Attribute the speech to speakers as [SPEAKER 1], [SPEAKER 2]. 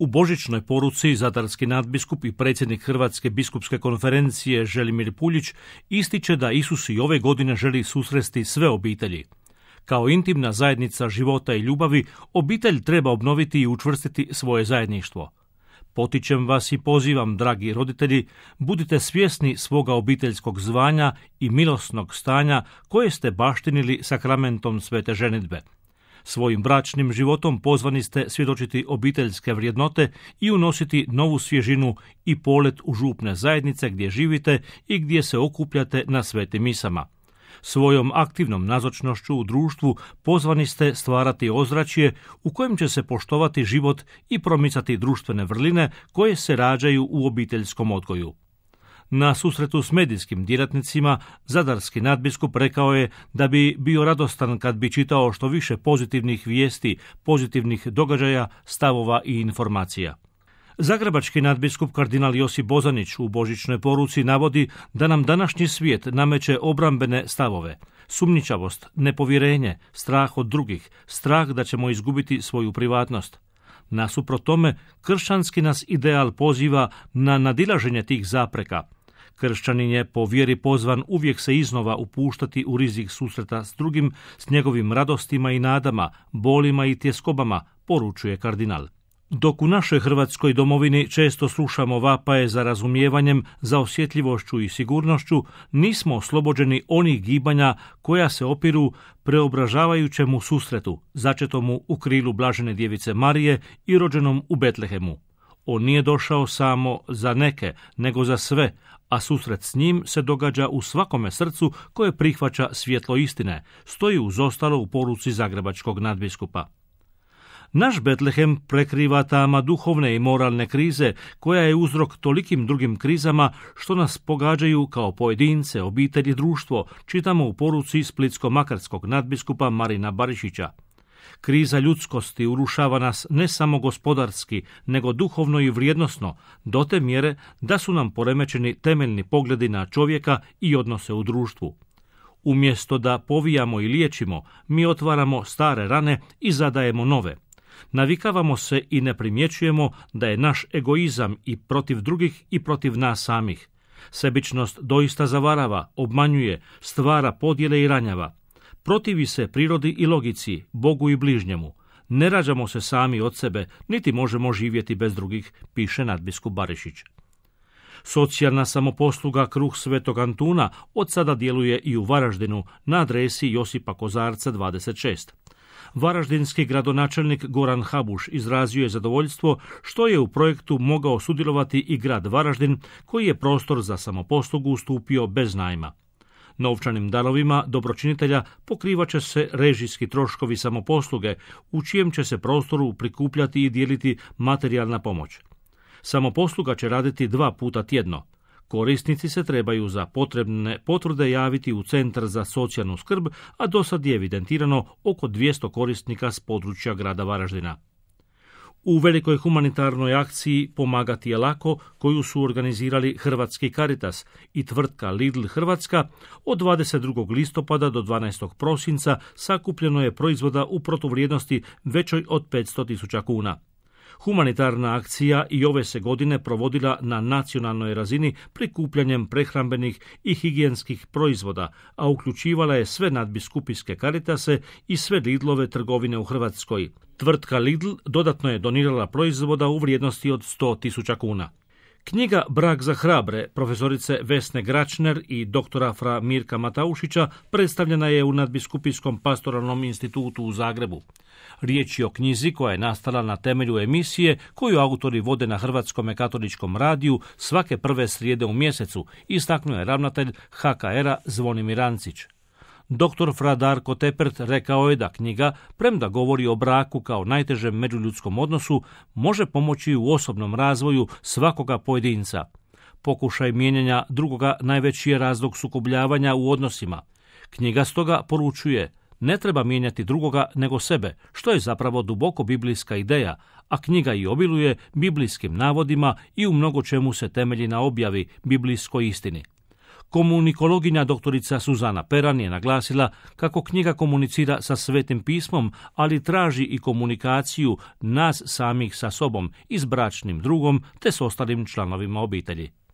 [SPEAKER 1] U božićnoj poruci zadarski nadbiskup i predsjednik Hrvatske biskupske konferencije Želimir Puljić ističe da Isus i ove godine želi susresti sve obitelji. Kao intimna zajednica života i ljubavi, obitelj treba obnoviti i učvrstiti svoje zajedništvo. Potičem vas i pozivam, dragi roditelji, budite svjesni svoga obiteljskog zvanja i milosnog stanja koje ste baštinili sakramentom svete ženidbe. Svojim bračnim životom pozvani ste svjedočiti obiteljske vrijednote i unositi novu svježinu i polet u župne zajednice gdje živite i gdje se okupljate na svetim misama. Svojom aktivnom nazočnošću u društvu pozvani ste stvarati ozračje u kojem će se poštovati život i promicati društvene vrline koje se rađaju u obiteljskom odgoju. Na susretu s medijskim djelatnicima zadarski nadbiskup rekao je da bi bio radostan kad bi čitao što više pozitivnih vijesti, pozitivnih događaja, stavova i informacija. Zagrebački nadbiskup kardinal Josip Bozanić u božićnoj poruci navodi da nam današnji svijet nameće obrambene stavove, sumnjičavost, nepovjerenje, strah od drugih, strah da ćemo izgubiti svoju privatnost. Nasuprot tome, kršćanski nas ideal poziva na nadilaženje tih zapreka. Kršćanin je po vjeri pozvan uvijek se iznova upuštati u rizik susreta s drugim, s njegovim radostima i nadama, bolima i tjeskobama, poručuje kardinal. Dok u našoj Hrvatskoj domovini često slušamo vapaje za razumijevanjem, za osjetljivošću i sigurnošću, nismo oslobođeni onih gibanja koja se opiru preobražavajućemu susretu, začetomu u krilu blažene djevice Marije i rođenom u Betlehemu. On nije došao samo za neke, nego za sve, a susret s njim se događa u svakome srcu koje prihvaća svjetlo istine, stoji uz ostalo u poruci zagrebačkog nadbiskupa. Naš Betlehem prekriva tama duhovne i moralne krize, koja je uzrok tolikim drugim krizama što nas pogađaju kao pojedince, obitelj i društvo, čitamo u poruci splitsko-makarskog nadbiskupa Marina Barišića. Kriza ljudskosti urušava nas ne samo gospodarski, nego duhovno i vrijednosno, do te mjere da su nam poremećeni temeljni pogledi na čovjeka i odnose u društvu. Umjesto da povijamo i liječimo, mi otvaramo stare rane i zadajemo nove. Navikavamo se i ne primjećujemo da je naš egoizam i protiv drugih i protiv nas samih. Sebičnost doista zavarava, obmanjuje, stvara podjele i ranjava. Protivi se prirodi i logici, Bogu i bližnjemu. Ne rađamo se sami od sebe, niti možemo živjeti bez drugih, piše nadbiskup Barišić. Socijalna samoposluga Kruh Svetog Antuna od sada djeluje i u Varaždinu na adresi Josipa Kozarca 26. Varaždinski gradonačelnik Goran Habuš izrazio je zadovoljstvo što je u projektu mogao sudjelovati i grad Varaždin, koji je prostor za samoposlugu ustupio bez najma. Novčanim darovima dobročinitelja pokrivat će se režijski troškovi samoposluge, u čijem će se prostoru prikupljati i dijeliti materijalna pomoć. Samoposluga će raditi 2 puta tjedno. Korisnici se trebaju za potrebne potvrde javiti u Centar za socijalnu skrb, a do sad je evidentirano oko 200 korisnika s područja grada Varaždina. U velikoj humanitarnoj akciji Pomagati je lako, koju su organizirali Hrvatski Caritas i tvrtka Lidl Hrvatska, od 22. listopada do 12. prosinca sakupljeno je proizvoda u protuvrijednosti većoj od 500.000 kuna. Humanitarna akcija i ove se godine provodila na nacionalnoj razini prikupljanjem prehrambenih i higijenskih proizvoda, a uključivala je sve nadbiskupijske Caritase i sve Lidlove trgovine u Hrvatskoj. Tvrtka Lidl dodatno je donirala proizvoda u vrijednosti od 100.000 kuna. Knjiga Brak za hrabre profesorice Vesne Gračner i doktora fra Mirka Mataušića predstavljena je u Nadbiskupijskom pastoralnom institutu u Zagrebu. Riječ je o knjizi koja je nastala na temelju emisije koju autori vode na Hrvatskome katoličkom radiju svake prve srijede u mjesecu, istaknuo je ravnatelj HKR-a Zvonimir Ancić. Dr. fra Darko Tepert rekao je da knjiga, premda govori o braku kao najtežem međuljudskom odnosu, može pomoći u osobnom razvoju svakoga pojedinca. Pokušaj mijenjanja drugoga najveći je razlog sukobljavanja u odnosima. Knjiga stoga poručuje: ne treba mijenjati drugoga nego sebe, što je zapravo duboko biblijska ideja, a knjiga i obiluje biblijskim navodima i u mnogo čemu se temelji na objavi, biblijskoj istini. Komunikologinja doktorica Suzana Peran je naglasila kako knjiga komunicira sa Svetim pismom, ali traži i komunikaciju nas samih sa sobom i s bračnim drugom te s ostalim članovima obitelji.